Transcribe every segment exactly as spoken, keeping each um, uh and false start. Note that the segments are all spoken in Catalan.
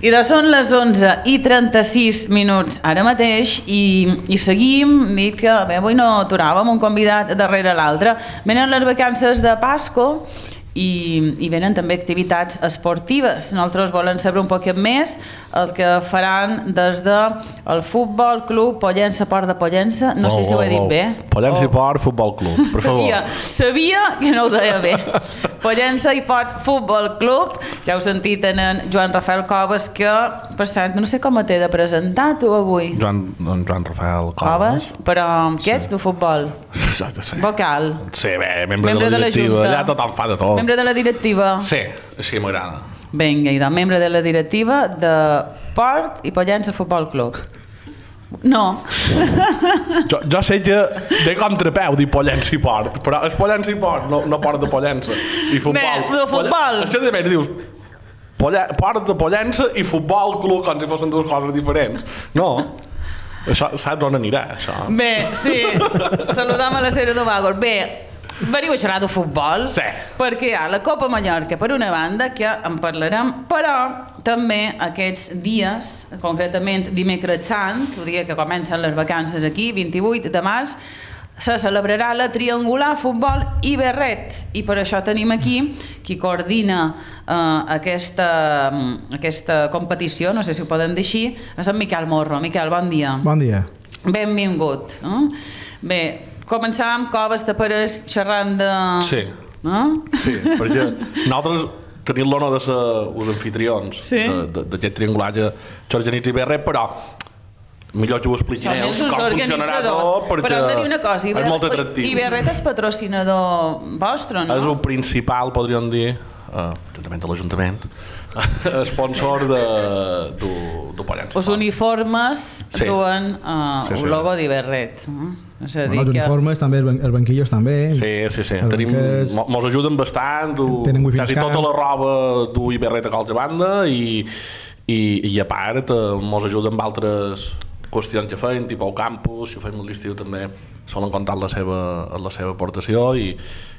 I doncs són les onze i trenta-sis minuts ara mateix i, i seguim, dit que bé, avui no aturàvem un convidat darrere l'altre. Venen les vacances de Pasco i, i venen també activitats esportives. Nosaltres volem saber un poquet més el que faran des del Futbol Club Pollença Port de Pollença. No oh, sé si ho he dit oh, bé. Pollença oh. i Port Futbol Club, per sabia, favor. Sabia que no ho deia bé. Pollença i Port Futbol Club. Ja heu sentit en, en Joan Rafael Coves, que, per cert, no sé com t'he de presentar tu avui. Joan, Joan Rafael Coves. Coves, però què ets sí. de futbol? Ja que sé. Vocal. Sí, bé, membre, membre de la directiva. Ja tothom fa de tot. Membre de la directiva. Sí, així m'agrada. Vinga, i de membre de la directiva de Port i Pollença Futbol Club. No. jo, jo sé que de contrapeu dir Pollença i Port, però és Pollença i Port, no, no Port de Pollença. I futbol. Bé, de futbol. És que també dius Port de Pollença i Futbol Club com si fossin dues coses diferents. No. Això, saps on anirà, això? Bé, sí. Saludam a la Sera Domagos. Bé, veniu a xerrar de futbol, sí. perquè hi ha la Copa Mallorca per una banda, que en parlarem, però també aquests dies, concretament dimecres sant, el dia que comencen les vacances aquí, vint-i-vuit de març, se celebrarà la Triangular Futbol i Berret, i per això tenim aquí qui coordina eh, aquesta, aquesta competició, no sé si ho poden dir així, és en Miquel Morro. Miquel, bon dia. Bon dia. Benvingut. Eh? Bé, començàvem, Coves, te pareix xerrant de... Sí, eh? sí, perquè nosaltres tenim l'honor de ser els anfitrions sí. d'aquest triangular que organitza Berret, però millor que ho expliquin ells com funcionarà tot, perquè però hem de dir una cosa, és molt atractiu. I Berret és patrocinador vostre, no? És el principal, podríem dir, uh, juntament de l'Ajuntament, sponsor de, de, de Pollença. Els uniformes sí. duen uh, sí, sí, el logo sí. d'Iberret. Uh? És a dir bueno, els que... uniformes també, els banquillos també. Sí, sí, sí. Tenim, banquets... Mos ajuden bastant, du, quasi tota la roba du Iberret a qualsevol banda i, i, i a part mos ajuden amb altres qüestions que feim, tipus al campus, si ho fem a l'estiu també solen comptar la seva, la seva aportació i,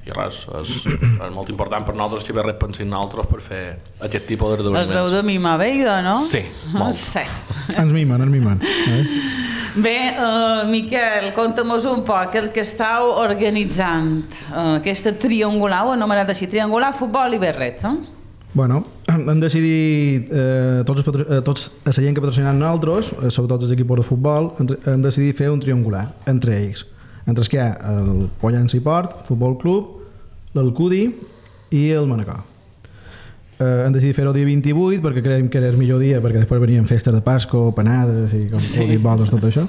i res, és, és molt important per nosaltres que Berret pensin nosaltres per fer aquest tipus d'esdeveniments. Els heu de mimar bé, no? Sí, molt. Sí. Ens mimen, ens mimen. Eh? Bé, uh, Miquel, conta'm-nos un poc el que estàu organitzant, uh, aquesta triangular, ho anomenat així, triangular, futbol i Berret, no? Bueno, hem decidit, eh, tots, els, eh, tots la gent que patrocinen nosaltres, eh, sobretot els equips de futbol, entre, hem decidit fer un triangular entre ells. Entre els que hi ha el Pollença i Port, Futbol Club, l'Alcudi i el Manacor. Eh, hem decidit fer-ho el dia vint-i-vuit perquè creiem que era el millor dia, perquè després venien festes de Pasco, panades i com sí. vols, tot això.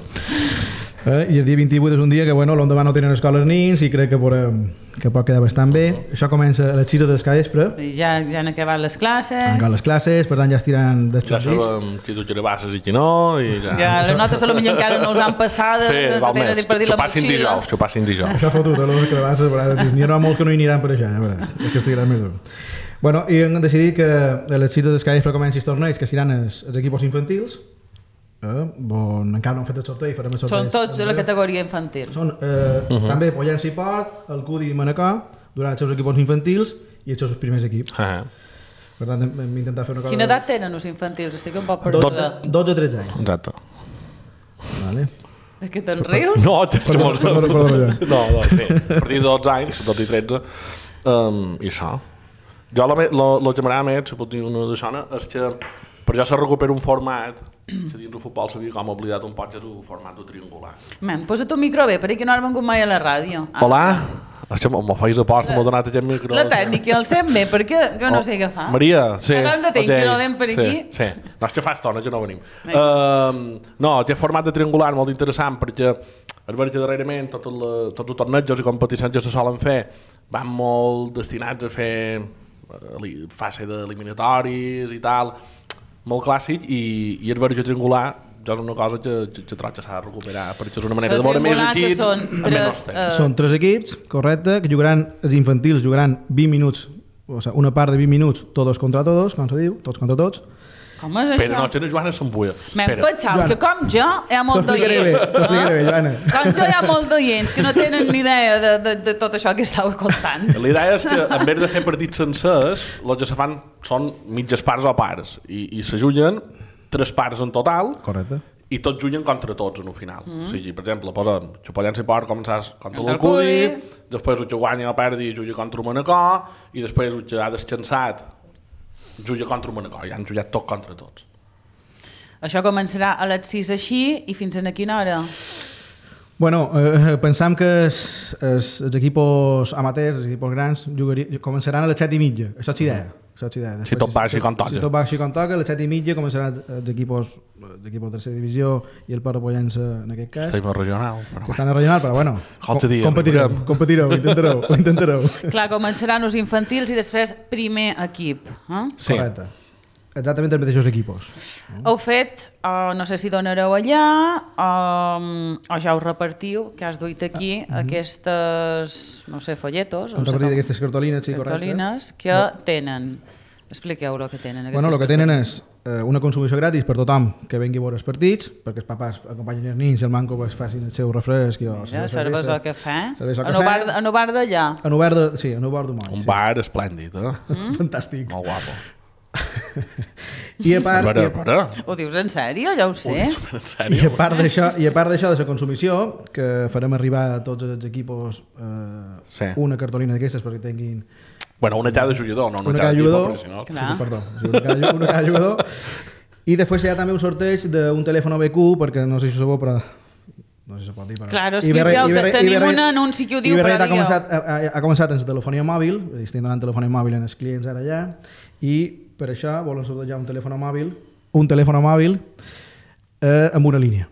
Eh, I el dia vint-i-vuit és un dia que bueno, l'endemà no tenen escoles nins i crec que, podem, que pot quedar bastant bé. Uh-huh. Això comença a les sis del vespre. Ja, ja han acabat les classes. Han acabat les classes, per tant ja estiran dels ja xorrits. Ja sabem qui tu xerabasses i qui no. I ja, ja les notes a lo millor encara no els han passat. Sí, val més. Xo passin dijous, xo passin dijous. Això fotut, a les carabasses, n'hi ha molts que no hi aniran per allà, eh? És que estiran més dur. Bueno, i hem decidit que a les sis del vespre comenci els torneigs que seran els, els equips infantils. Eh, bon, encara no hem fet el sorteig, farem el sorteig. Són tots de la categoria infantil. Són eh, uh-huh. també Pollença i Port, el Cudi i Manacor, durant els seus equips infantils i els seus primers equips. Uh-huh. Per tant, hem intentat fer una cosa... Quina edat tenen els infantils? Estic un poc perduda. dotze a tretze anys. Exacte. Vale. És que te'n rius? No, no, no, sí. A partir de dotze anys, dotze i tretze, um, i això. Jo el que m'agrada més, si pot dir una de sona, és que per ja se recupera un format que dins el futbol s'havia com oblidat un poc, que és el format de triangular. Man, posa't un micro bé, perquè no has vengut mai a la ràdio. Hola, això m'ho feis a post, m'ho ha donat aquest micro. La tècnica el sent bé, perquè jo no sé què fa. Maria, sí. Ara hem de tenir que no anem per aquí. Sí, no, és que fa estona que no venim. No, aquest format de triangular molt interessant, perquè és veritat que darrerament tots els tornejos i competicions que se solen fer van molt destinats a fer fase d'eliminatoris i tal, molt clàssic, i, i és veritat que triangular ja és una cosa que, que, que trobo que s'ha de recuperar, perquè és una manera de veure més equips. Són tres, uh... són tres equips, correcte, que jugaran, els infantils jugaran vint minuts, o sigui, una part de vint minuts, todos contra todos, com se diu, tots contra tots. Com és això? Però no, tenen Joana Sambuia. M'hem pensat que com jo hi ha molt T'explicaré bé, d'oients. t'explicaré bé, Joana. Com jo hi ha molt d'oients que no tenen ni idea de, de, de tot això que estava contant. La idea és que, en vez de fer partits sencers, els que se fan són mitges parts o parts, i, i se juguen tres parts en total, Correcte. i tots juguen contra tots en un final. Mm. O sigui, per exemple, posen Xupollença i Port, començàs contra Contra l'Alcudi, l'Alcudi. després el que guanya o perdi juga contra el Manacor, i després el que ha descansat juga contra el Manacor, i han jugat tots contra tots. Això començarà a les sis així i fins a quina hora? Bueno, eh, pensam que els, els, els equipos amateurs, els equipos grans, jugaria, començaran a les set i mitja. Això és idea. Això és idea. Després, Si tot va així com toca. Si tot va així com toca, a les set i mitja començaran els equipos d'equipos de tercera divisió i el Port de Pollença en aquest cas. Estem a regional. Però... Que estan a regional, però bueno, Qualque dia competireu, arribarem. competireu, ho intentareu, ho intentareu. Clar, començaran els infantils i després primer equip. Eh? Sí. Correcte. Exactament els mateixos equipos. Heu fet, uh, no sé si donareu allà, um, o ja ho repartiu, que has duit aquí, Ah, aquestes, no sé, folletos, Han no sé repartit com- aquestes cartolines, sí, correcte. cartolines, que tenen. Expliqueu el que tenen. Bueno, el que aquestes tenen és eh, una consumició gratis per tothom que vengui a veure els partits, perquè els papàs acompanyin els nins i el manco pues, facin el seu refresc. I, o, la Ja, seva cervesa o cafè. Cervesa o En el cafè. bar, en el bar d'allà. En obert de, sí, en obert d'Humoll. Un sí. bar esplèndid, eh? Mm? Fantàstic. Molt guapo. I a part, A veure, i a a, veure. Ho dius en sèrio? Ja ho sé. En i a sèrio? part d'això, i a part d'això de la consumició, que farem arribar a tots els equipos eh, Sí. una cartolina d'aquestes perquè tinguin Bueno, una cada jugador, no una, una cada cada equip jugador. professional. Clar. Sí, perdó, sí, una, cada, una cada jugador. I després hi ha també un sorteig d'un telèfon B Q, perquè no sé si ho sabeu, però no sé si se pot dir, però... Clar, I Iberre- expliqueu, Iberre- tenim Iberre- un anunci que ho diu, Iberre però ha digueu. començat, ha, ha començat en la telefonia mòbil, és a dir, estem donant telefonia mòbil als clients ara ja, i per això volen sortejar un telèfon mòbil, un telèfon mòbil eh, amb una línia.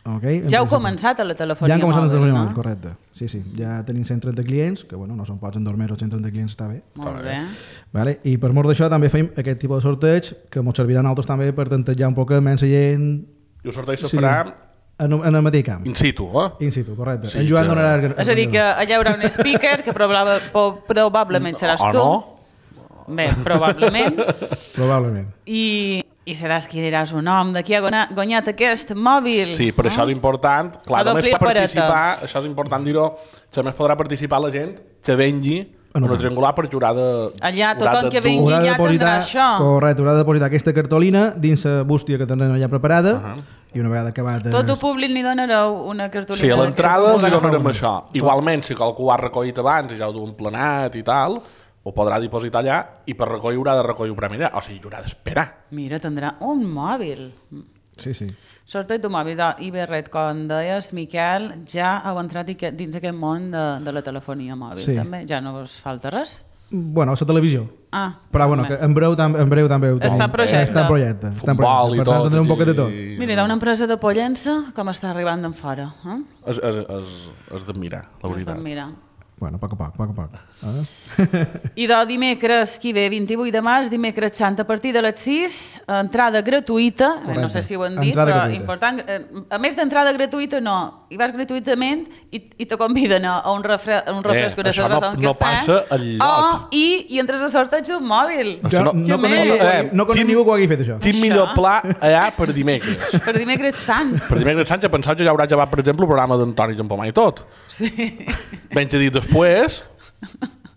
Okay? Ja heu En principi. començat a la telefonia Ja han començat mòbil, la telefonia no? mòbil, correcte. Sí, sí. Ja tenim cent trenta clients, que bueno, no són pocs en dos mesos, cent trenta clients està bé. Molt bé. Vale? I per mort d'això també fem aquest tipus de sorteig que ens serviran altres també per tantejar un poc menys gent I el sorteig se Sí. farà en, en el mateix camp. in situ, eh? In situ, correcte. Sí, en Joan que- donarà... el- És a dir, que allà hi haurà un speaker que probable, po- probablement seràs O tu. no? Bé, probablement. Probablement. I, i seràs qui diràs un nom de qui ha guanyat, guanyat aquest mòbil. Sí, però això és important. Clar, La només doble pot opereta. participar, això és important dir-ho, que només podrà participar la gent que vengui En una un triangular perquè haurà de... Allà, haurà tothom de que dur- vingui Haurà de ja tindrà això. Correcte, haurà de depositar aquesta cartolina dins la bústia que tindrem allà preparada uh -huh. i una vegada acabat... Tot el públic li donareu una cartolina. Sí, a l'entrada els Podrà hi donarem agafar això. Igualment, si qualcú ho ha recollit abans i ja ho duen planat i tal, ho podrà dipositar allà i per recollir haurà de recollir un premi allà. O sigui, haurà d'esperar. Mira, tindrà un mòbil. Sí, sí. Sorteig d'un mòbil d'Iberret, com deies, Miquel, ja heu entrat i que- dins aquest món de, de la telefonia mòbil, Sí. també? Ja no us falta res? Bueno, la televisió. Ah, Però bueno, que en breu, tam en breu també ho tenim. Està en projecte. Està en projecte. Està en Futbol projecte. i Per tant, tot, tindrem un poquet de tot. i- Mira, hi ha una empresa de Pollença com està arribant d'en fora. Eh? És, és, és, és d'admirar, la veritat. Mira. Bueno, a poc a poc, a poc a poc. Ah? I de dimecres, qui ve, vint-i-vuit de març, dimecres sant, a partir de les sis, entrada gratuïta, eh, no Correcte. sé si ho han dit, Entrada però gratuïta. important, eh, a més d'entrada gratuïta no, hi vas gratuïtament i, i te conviden a un, refre, a un refresc, Eh, una això cervesa, no- un no cafè, passa enlloc. oh, i, i entres al sorteig d'un mòbil. Això Jo no- no, Que conec, més? ningú, Eh, no conec quin- ningú que ho hagi fet, això. Quin Això? millor pla allà per dimecres? Per dimecres sant. Per dimecres Sánchez, pensava que ja haurà llevat, per exemple, el programa d'Antoni Campomà i tot. Sí. Ben que dit després,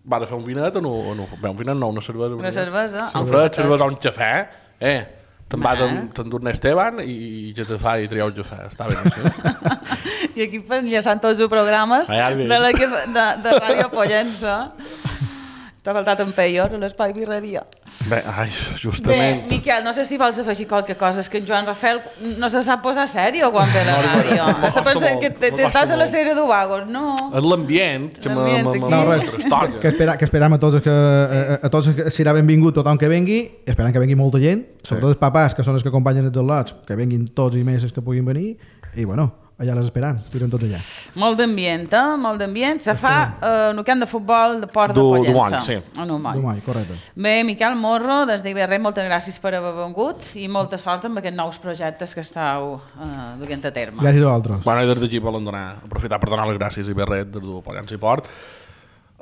vas a fer un vinet o no? O no bé, un vinet no, una cervesa. Una cervesa, Un un fred, fred. cervesa o un cafè. Eh, te'n vas Bé. amb t'endurne Esteban i, i que te fa i triar un cafè. Està bé, sí? I aquí per enllaçant tots els programes Ah, ja de, veig. la que, de, de Ràdio Pollença. T'ha faltat en Peyor, a l'espai birreria. Bé, ai, Bé, justament. Miquel, no sé si vols afegir qualque cosa. És que en Joan Rafael no se sap posar sèrio quan ve a la No, no, ràdio. no, Se no, pensa no, que no, te- no, estàs a la no. sèrie d'Ovagos, no? És l'ambient que L'ambient me- me- aquí. me- No, res. me estolla. Que, espera, que esperam a tots els que, a, a tots els que serà benvingut tothom que vengui, esperant que vengui molta gent, sobretot els papàs, que són els que acompanyen els lots, que venguin tots i més els que puguin venir, i bueno, allà les esperam, tiren tot allà. Molt d'ambient, eh? Molt d'ambient. Se fa eh, en un camp de futbol de Port de Du- Pollença. Dumont, sí. En Dumont. Domai, correcte. Bé, Miquel Morro, des d'Iberret, moltes gràcies per haver vengut i molta sort amb aquests nous projectes que estàu eh, duent a terme. Gràcies a vosaltres. Bueno, i des d'aquí volen donar, aprofitar per donar les gràcies a Iberret, des del Pollença i Port,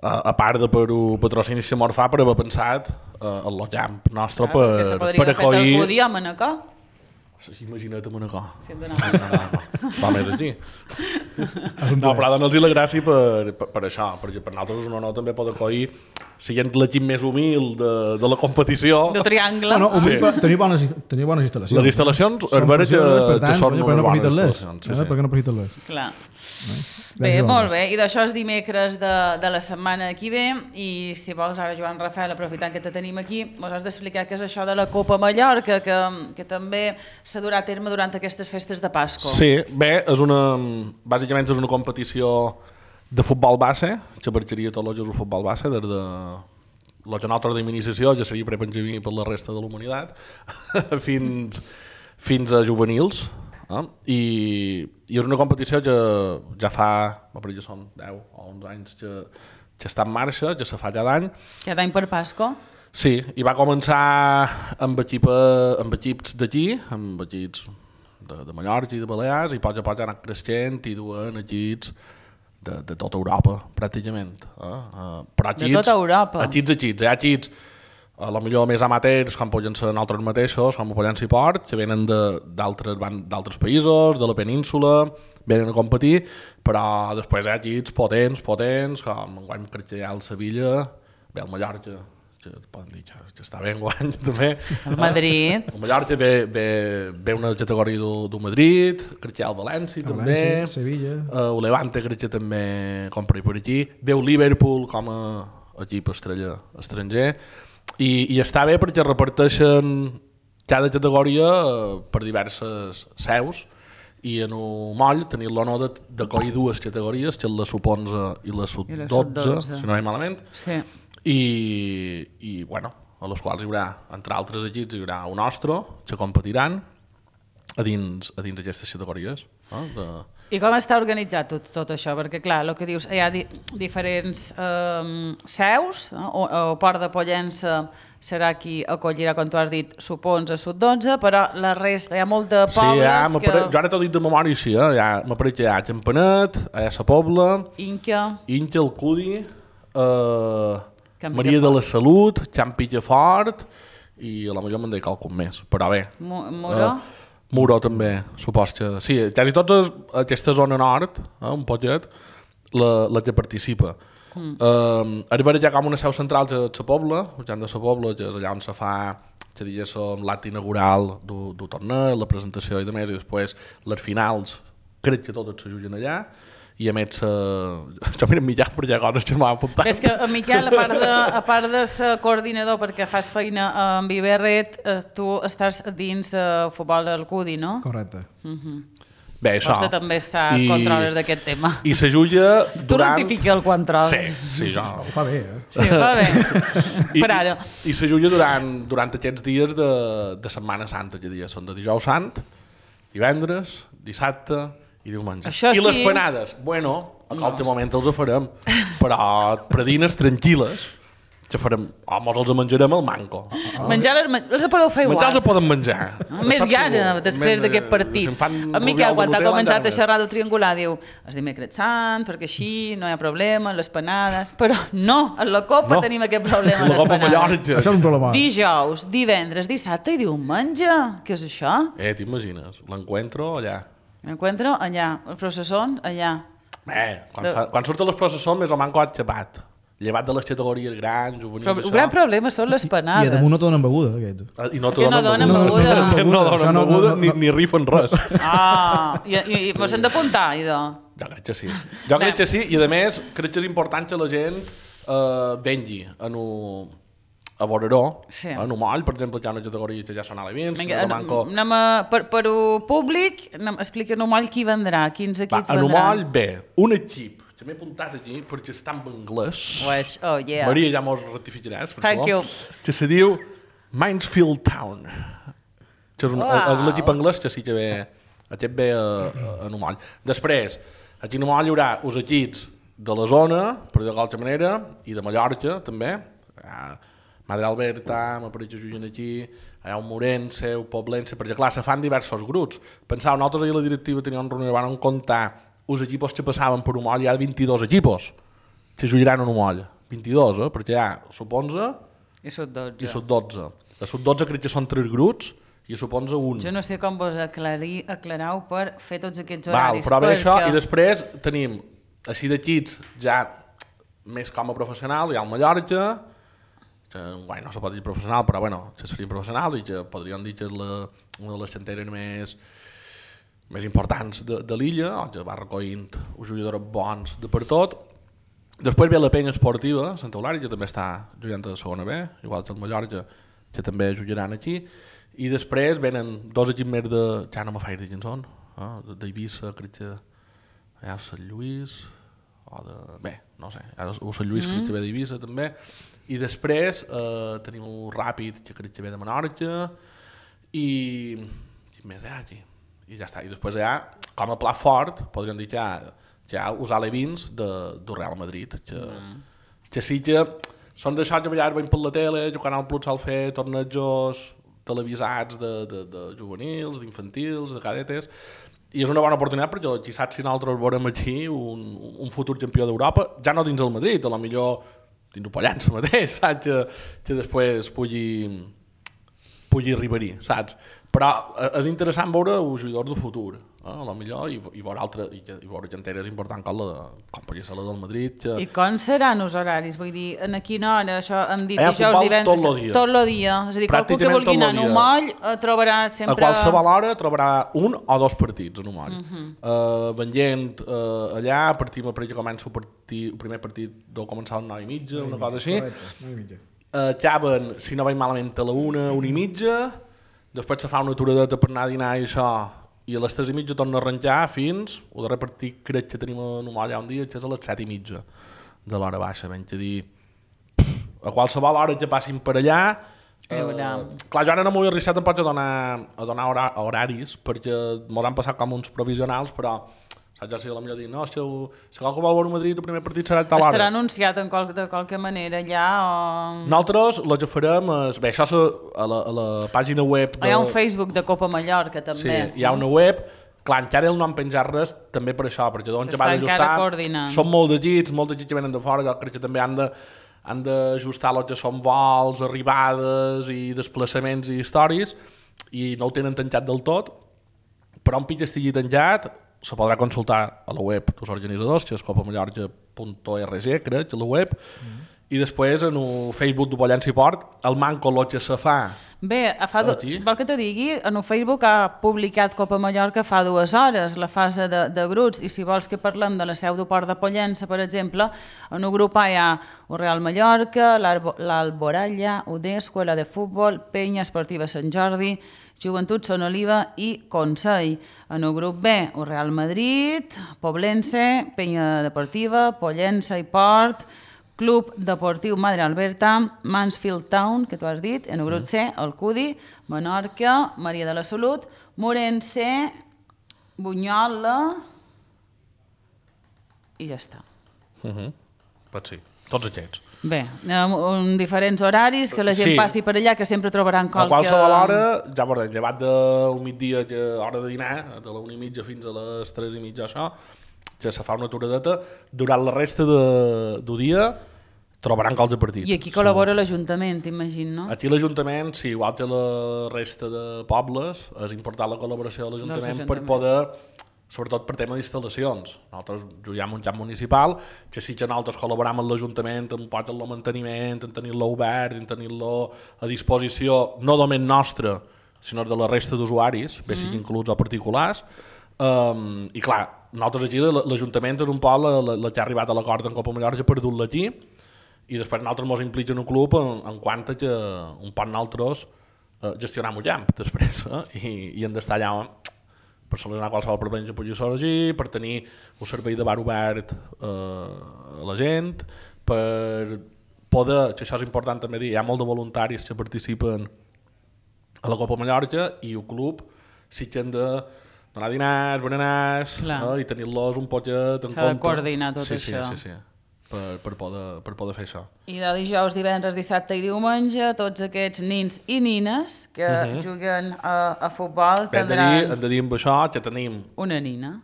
a, a part de per un patrocini que mos fa per haver pensat uh, el camp nostre Clar, perquè se per, podria per haver fet el acollir... Cudi a Manacor. Imagina't a Manacor. Sí, hem d'anar. Va més aquí. No, però donar-los la gràcia per, per, per això, perquè per nosaltres és un honor també poder acollir, sent l'equip més humil de, de la competició. De triangle. Bueno, Sí. sí. tenir, bones, tenir bones instal·lacions. Les instal·lacions, Són és vera que, precioses, per que tant, són per què unes no bones aprofiten-les? instal·lacions. Eh? Sí, Per què sí. no aprofiten-les? Clar. Gràcies, Bé, molt Joan. bé. I d'això és dimecres de, de la setmana que ve i si vols ara, Joan Rafael, aprofitant que te tenim aquí, mos has d'explicar què és això de la Copa Mallorca, que, que també s'ha durat a terme durant aquestes festes de Pasco. Sí, bé, és una, bàsicament és una competició de futbol base, que abarcaria tots els jocs de futbol base, des de la que nosaltres d'iniciació ja seria prepenjamí per la resta de la humanitat, fins, fins a juvenils. Eh? I, I és una competició que ja fa, ja són deu o onze anys que, que està en marxa, que se fa cada any. Cada any per Pasco? Sí, i va començar amb, equip, amb equips d'aquí, amb equips de, de Mallorca i de Balears, i a poc a poc ha anat creixent i duen equips de, de tota Europa, pràcticament. Eh? Uh, però equips, de tota Europa? Equips, equips. Hi ha equips a la millor més amateurs, com poden ser nosaltres mateixos, com poden ser Port, que venen d'altres països, de la península, venen a competir, però després hi ha equips potents, potents, com enguany crec que hi ha el Sevilla, bé, el Mallorca, que poden dir que, que està bé enguany també. El Madrid. El Mallorca ve, ve, ve una categoria del Madrid, crec que hi ha el València El també, València, Sevilla. uh, el Levante crec que també compra per aquí, ve el Liverpool com a equip estrella estranger, I, i està bé perquè reparteixen cada categoria per diverses seus i en un moll tenir l'honor d'acollir dues categories, que és la sub onze i la sub dotze, si no hi malament, sí. i, i bueno, a les quals hi haurà, entre altres equips, hi haurà un nostre que competiran a dins, a dins d'aquestes categories. Eh, de... I com està organitzat tot, tot això? Perquè, clar, el que dius, hi ha di diferents eh, seus, eh? o, o Port de Pollença serà qui acollirà, com tu has dit, sub onze, sub dotze, però la resta, hi ha molt de pobles sí, ja, que... Pare... Jo ara t'ho dit de memòria, sí, eh? Ja, m'apareix que hi ha Campanet, hi ha Sa Pobla, Inca, Inca, el Cudi, eh, Can Maria Picafort. de la Salut, Can Picafort, i a la millor me'n deia qualcun més, però bé. Mo Moró, Eh, Muro també, supos que... Sí, quasi totes aquesta zona nord, eh, un poquet, la, la que participa. Mm. Eh, arribarà ja com una seu central a Sa Pobla, ja de Sa Pobla, que és allà on se fa, que diguéssim, l'acte inaugural del torneig, la presentació i demés, i després les finals, crec que totes se juguen allà, i a més, uh, jo mira en Miquel per allà coses que m'han apuntat. és que en Miquel, a part de, a part de ser coordinador perquè fas feina amb Iberret, eh, tu estàs dins el uh, futbol del Cudi, no? Correcte. Uh -huh. Bé, això. Vostè també està I- controles d'aquest tema. I se juga Tu durant... rectifica el control. Sí, sí, jo... Ho fa bé, eh? Sí, fa bé. I, Per ara. I, i se juga durant, durant aquests dies de, de Setmana Santa, que dies són de dijous sant, divendres, dissabte i diumenge. Això I les sí. penades, bueno, a qualsevol moment els farem, però predines tranquil·les, que farem, o mos els menjarem al manco. Menjar les, les podeu fer igual. Menjar els poden menjar. Més Saps gana, segur. després Men- d'aquest partit. si em fan En Miquel, rubial quan de ha l'hotel, començat a encara xerrar del triangular, diu es dimecres sant, perquè així no hi ha problema, les panades... Però no, en la Copa No. tenim aquest problema, La les Copa panades. Mallorca. Això és un problema. Dijous, divendres, dissabte i diumenge. Què és això? Eh, t'imagines, l'encuentro allà. M'encuentro allà, el processón allà. Bé, quan, De- fa, quan surten les processons més o manco ha xapat. Llevat de les categories grans, juvenils, Però el això. gran problema són les I panades. a damunt no te donen beguda, aquest. Ah, I no te Que no donen donen beguda. beguda. Que no Això donen no- beguda no- ni, no- ni rifen res. Ah, i, i, i mos hem d'apuntar, idò. Jo crec que sí. Jo crec que sí, i a més crec que és important que la gent eh, vengui en un, a Boreró, Sí. en un moll, per exemple, que hi ha una categoria que ja són alevins, Vinga, que anem, manco... anem a, per, per ho públic, anem, explica en un moll qui vendrà, quins Va, equips en un vendran. moll, bé, un equip, que m'he apuntat aquí perquè està en anglès. Pues, oh, yeah. Maria, ja mos rectificaràs, per Thank favor. you. Que se diu Mansfield Town. Que és, un, Wow. és l'equip anglès que sí que ve, aquest ve a, a, a Numoll. Després, aquí a Numoll hi haurà els equips de la zona, per dir-ho d'altra manera, i de Mallorca, també. Ah, Madre Alberta, m'apareix que juguen aquí, hi ha un Morense, un Poblense, perquè clar, se fan diversos grups. Pensau, nosaltres ahir a la directiva teníem una reunió, van comptar els equipos que passaven per Numoll, hi ha vint-i-dos equipos que jugaran a Numoll. vint-i-dos, eh? Perquè hi ha sub onze, I sub dotze. I sub dotze. De sub dotze crec que són tres grups i sub onze un. Jo no sé com vos aclarir, aclarau per fer tots aquests Val, horaris. però ve perquè... això i després tenim així d'equips ja més com a professionals, hi ha el Mallorca, que bueno, no se pot dir professional, però bueno, que serien professionals i que podríem dir que és la, una de les xanteres més, més importants de, de l'illa, que va recollint uns jugadors bons de per tot. Després ve la penya esportiva, Santa Eulària, que també està jugant a la segona B, igual que el Mallorca, que també jugaran aquí. I després venen dos equips més de... Ja no me faig de quins són, eh? d'Eivissa, crec que hi ha Sant Lluís, o de... Bé, no sé, o Sant Lluís mm. crec que ve d'Eivissa també. I després eh, tenim el Ràpid, que crec que ve de Menorca, i... Quin més hi ha aquí? I ja està. I després hi ha, com a pla fort, podríem dir que hi ha, que hi ha els alevins de, del Real Madrid, que, mm. que sí que són d'això que a vegades veiem per la tele, que Canal Plus sol fer tornejos televisats de, de, de juvenils, d'infantils, de cadetes, i és una bona oportunitat perquè qui sap si nosaltres veurem aquí un, un futur campió d'Europa, ja no dins el Madrid, a lo millor dins el Pollença mateix, saps? Que, que després pugui, pugui arribar-hi, saps? Però és interessant veure un jugador del futur, eh? A lo millor, i, i veure altres, i, i veure genteres importants com, la, com podria ser la del Madrid. Que... I com seran els horaris? Vull dir, en a quina hora? Això hem dit Hi ha dijous, futbol divendres... tot el dia. Tot el dia. És a dir, qualcú que vulgui anar a un moll trobarà sempre... A qualsevol hora trobarà un o dos partits en un moll. Uh -huh. uh, venient uh, allà, partim a que comença el, partit, el primer partit deu començar a les nou i mitja, una cosa així. Correcte, nou i mitja. Uh, acaben, si no vaig malament, a la una, una i mitja, després se fa una aturadeta per anar a dinar i això, i a les tres i mitja torna a arrencar fins, el darrer partit crec que tenim en un moll un dia, que és a les set i mitja de l'hora baixa, ben que dir, a qualsevol hora que passin per allà, eh, clar, jo ara no m'ho he arriscat tampoc a donar, a donar hora, horaris, perquè m'ho han passat com uns provisionals, però saps, ja sé, a la millor dir, no, si, el, si qualque vol veure Madrid, el primer partit serà a tal hora. Estarà anunciat en qual, de qualque manera allà o... Nosaltres el que farem és... Bé, això és a la, a la pàgina web... De... Hi ha un Facebook de Copa Mallorca, també. Sí, hi ha una web... Clar, encara el no han penjat res també per això, perquè d'on que va d'ajustar... Són molt de llits, molts de llits que venen de fora, jo crec que també han de han d'ajustar el que són vols, arribades i desplaçaments i històries, i no ho tenen tancat del tot, però un pitch estigui tancat se podrà consultar a la web dels organitzadors, que és copamallorca punt org, crec, a la web, mm. i després en el Facebook de Pollença i Port, el manco el que se fa. Bé, fa do... vol que te digui, en el Facebook ha publicat Copa Mallorca fa dues hores, la fase de, de grups, i si vols que parlem de la seu de Port de Pollença, per exemple, en el grup A hi ha el Real Mallorca, l'Alboralla, U D, Escuela de Futbol, Penya Esportiva Sant Jordi, Joventut Son Oliva i Consell. En el grup B, el Real Madrid, Poblense, Penya Deportiva, Pollença i Port, Club Deportiu Madre Alberta, Mansfield Town, que tu has dit, en el grup C, el Cudi, Menorca, Maria de la Salut, Morense, Bunyola i ja està. Uh -huh. Pot ser, tots aquests. Bé, en diferents horaris, que la gent sí. passi per allà, que sempre trobaran qualque... A qualsevol hora, ja veurem, llevat d'un migdia, que hora de dinar, de la una i mitja fins a les tres i mitja, això, que se fa una aturadeta, durant la resta de, del dia trobaran calç de partit. I aquí col·labora l'Ajuntament, imagino, no? Aquí l'Ajuntament, sí, igual que la resta de pobles, és important la col·laboració de l'Ajuntament per poder, sobretot per tema d'instal·lacions. Nosaltres juguem un camp municipal, que sí que nosaltres col·laboram amb l'Ajuntament en el manteniment, en tenir-lo obert, en tenir-lo a disposició, no només nostre, sinó de la resta d'usuaris, bé sigui inclús o particulars. Um, I clar, nosaltres aquí l'Ajuntament és un poc la, la, la que ha arribat a l'acord en Copa Mallorca per dur-la aquí, i després nosaltres ens impliquem en un club en, en quant a que un poc nosaltres uh, gestionam un camp després, eh? I, i hem d'estar allà per solucionar qualsevol problema que pugui sorgir, per tenir un servei de bar obert uh, a la gent, per poder, que això és important també dir, hi ha molt de voluntaris que participen a la Copa Mallorca i el club sí que hem de donar dinars, berenars, eh, i tenir-los un poquet en compte. S'ha de coordinar tot sí, això. Sí, sí, sí, per, per, poder, per poder fer això. I de dijous, divendres, dissabte i diumenge, tots aquests nins i nines que uh -huh. juguen a, a futbol Bé, hem de dir, hem de dir amb això que tenim... Una nina.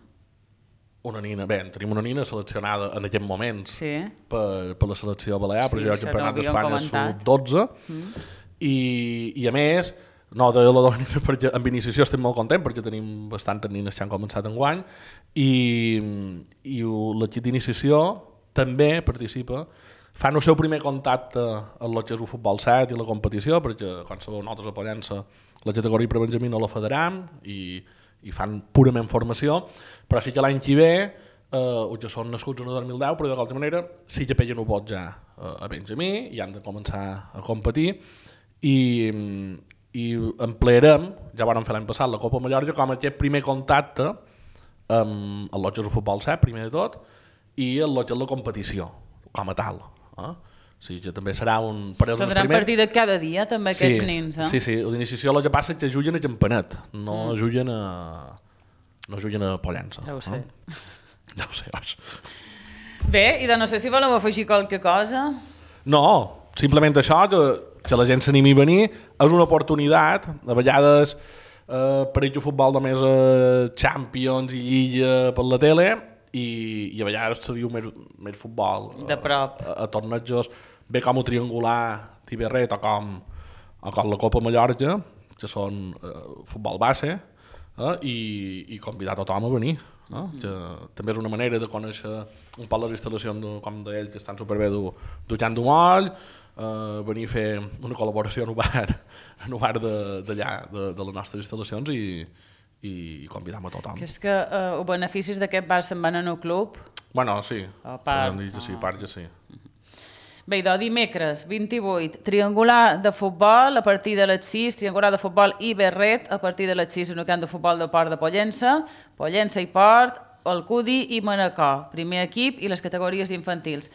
una nina, bé, tenim una nina seleccionada en aquest moment Sí. per, per la selecció balear, Sí, per jugar al això no Campionat ho havíem d'Espanya comentat. sub dotze, mm. i, i a més, no, de la nina, perquè amb iniciació estem molt contents, perquè tenim bastantes nines que han començat enguany, i, i l'equip d'iniciació també participa, fan el seu primer contacte amb el que és el futbol set i la competició, perquè, com sabeu, nosaltres a Pollença la categoria per Benjamí no la federam i, i fan purament formació, però sí que l'any que ve, eh, que són nascuts en el dos mil deu, però de qualsevol manera sí que pellen un vot ja eh, a Benjamí i han de començar a competir, i, i emplearem, ja vam fer l'any passat la Copa Mallorca, com aquest primer contacte amb el que és el futbol set, primer de tot, i el que és la competició, com a tal. Eh? O sigui que també serà un... Tindran primer... partida cada dia, també, sí, aquests nins. Eh? Sí, sí, l'iniciació el que passa és que juguen a Campanet, no mm. juguen a... no juguen a Pollença. Ja ho sé. Eh? Ja ho sé, oi. Bé, i de no sé si voleu afegir qualque cosa. No, simplement això, que, que la gent s'animi a venir, és una oportunitat, a vegades eh, per el futbol només eh, Champions i Lliga per la tele, i, i a vegades se diu més, més futbol de prop a, a, a tornejos bé com el triangular d'Iberret o com, o com la Copa Mallorca, que són eh, futbol base, eh, i, i convidar tothom a venir, eh, que també és una manera de conèixer un poc les instal·lacions de, com d'ells, que estan superbé du, du Can d'Umoll, eh, venir a fer una col·laboració en un bar, en un bar d'allà, de, de, de les nostres instal·lacions, i i convidam a tothom. Que és que eh, els beneficis d'aquest bar se'n van en el club? Bueno, sí, a part, dir que sí, a part que sí. Bé, doncs dimecres vint-i-vuit, triangular de futbol a partir de les sis, triangular de futbol i Berret a partir de les sis en el camp de futbol del Port de Pollença, Pollença i Port, Alcudi i Manacor, primer equip i les categories infantils.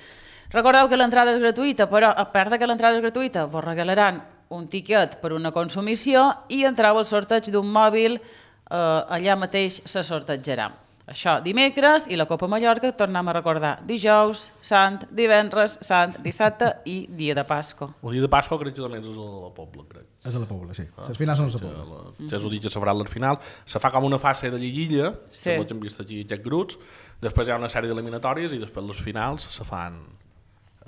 Recordeu que l'entrada és gratuïta, però a part de que l'entrada és gratuïta, vos regalaran un tiquet per una consumició i entrau al sorteig d'un mòbil. Uh, allà mateix se sortejarà. Això dimecres, i la Copa Mallorca tornem a recordar dijous, sant, divendres, sant, dissabte i dia de Pasco. El dia de Pasco crec que també és a la Pobla, crec. És a la Pobla, sí. Ah, els finals són a la Pobla. La, ja és el dia que se farà al final. Se fa com una fase de lliguilla, sí. que hem vist aquí aquests grups, després hi ha una sèrie d'eliminatòries i després les finals se fan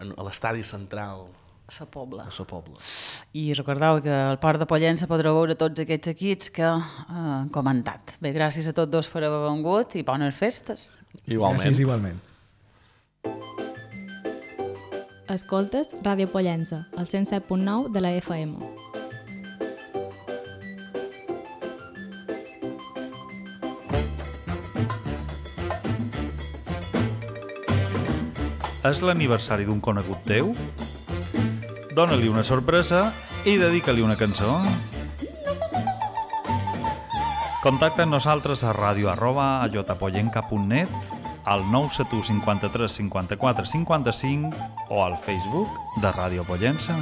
en, a l'estadi central. A la Pobla. A la Pobla. I recordeu que al Port de Pollença podreu veure tots aquests equips que eh, han comentat. Bé, gràcies a tots dos per haver vengut i bones festes. Igualment. Gràcies, igualment. Escoltes Ràdio Pollença, al cent set punt nou de la F M. És l'aniversari d'un conegut teu? Dóna-li una sorpresa i dedica-li una cançó. Contacta amb nosaltres a ràdio arroba allotapollenca punt net, al nou set u cinquanta-tres cinquanta-quatre cinquanta-cinc o al Facebook de Ràdio Pollença.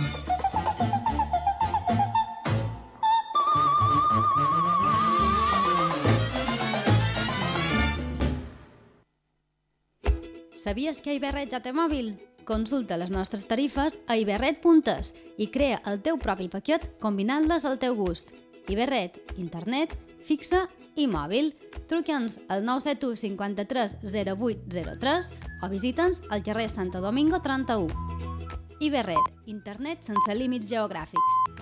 Sabies que Iberret ja té mòbil? Consulta les nostres tarifes a iberret punt es i crea el teu propi paquet combinant-les al teu gust. Iberret, internet, fixa i mòbil. Truca'ns al nou set u cinquanta-tres zero vuit zero tres o visita'ns al carrer Santo Domingo trenta-u. Iberret, internet sense límits geogràfics.